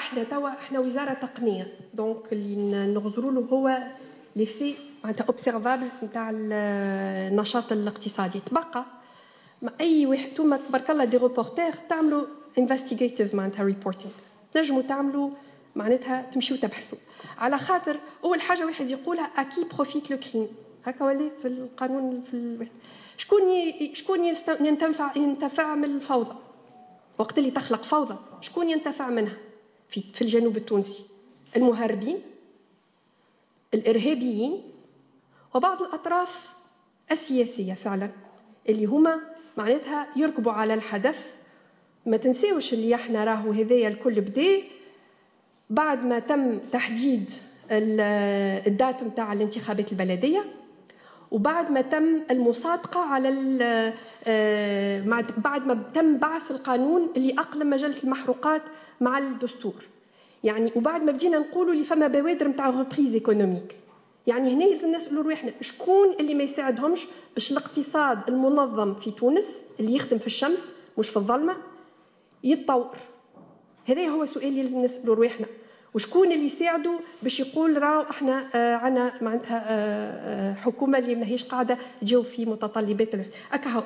احنا توا احنا وزارة تقنيه، donc اللي نغزروا له هو l'effet معناتها observable نتاع النشاط الاقتصادي. تبقى ما اي واحد، انتوما تبارك الله des reporters، تعملوا investigative معناتها reporting، تنجموا تعملوا معناتها تمشيو تبحثوا. على خاطر اول حاجة واحد يقولها: à qui profite le crime؟ هكا ولا في القانون في شكون ينتفع من الفوضى؟ وقت اللي تخلق فوضى شكون ينتفع منها؟ في الجنوب التونسي المهربين، الارهابيين، وبعض الاطراف السياسية فعلا اللي هما معناتها يركبوا على الحدث. ما تنساوش اللي احنا راهو هذايا الكل بدا بعد ما تم تحديد ال date نتاع الانتخابات البلديه، وبعد ما تم المصادقة على بعد ما تم بعث القانون اللي أقلم مجلة المحروقات مع الدستور، يعني وبعد ما بدينا نقولوا اللي فما بوادر نتاع reprise économique. يعني هنا لازم نسالوا رواحنا شكون اللي ما يساعدهمش باش الاقتصاد المنظم في تونس اللي يخدم في الشمس مش في الظلمة يتطور. هذا هو السؤال اللي لازم نسالوا رواحنا، وشكون اللي يساعدوا باش يقول راهو احنا عندنا معناتها حكومة اللي ماهيش قاعدة تجاوب في متطلبات. اكا.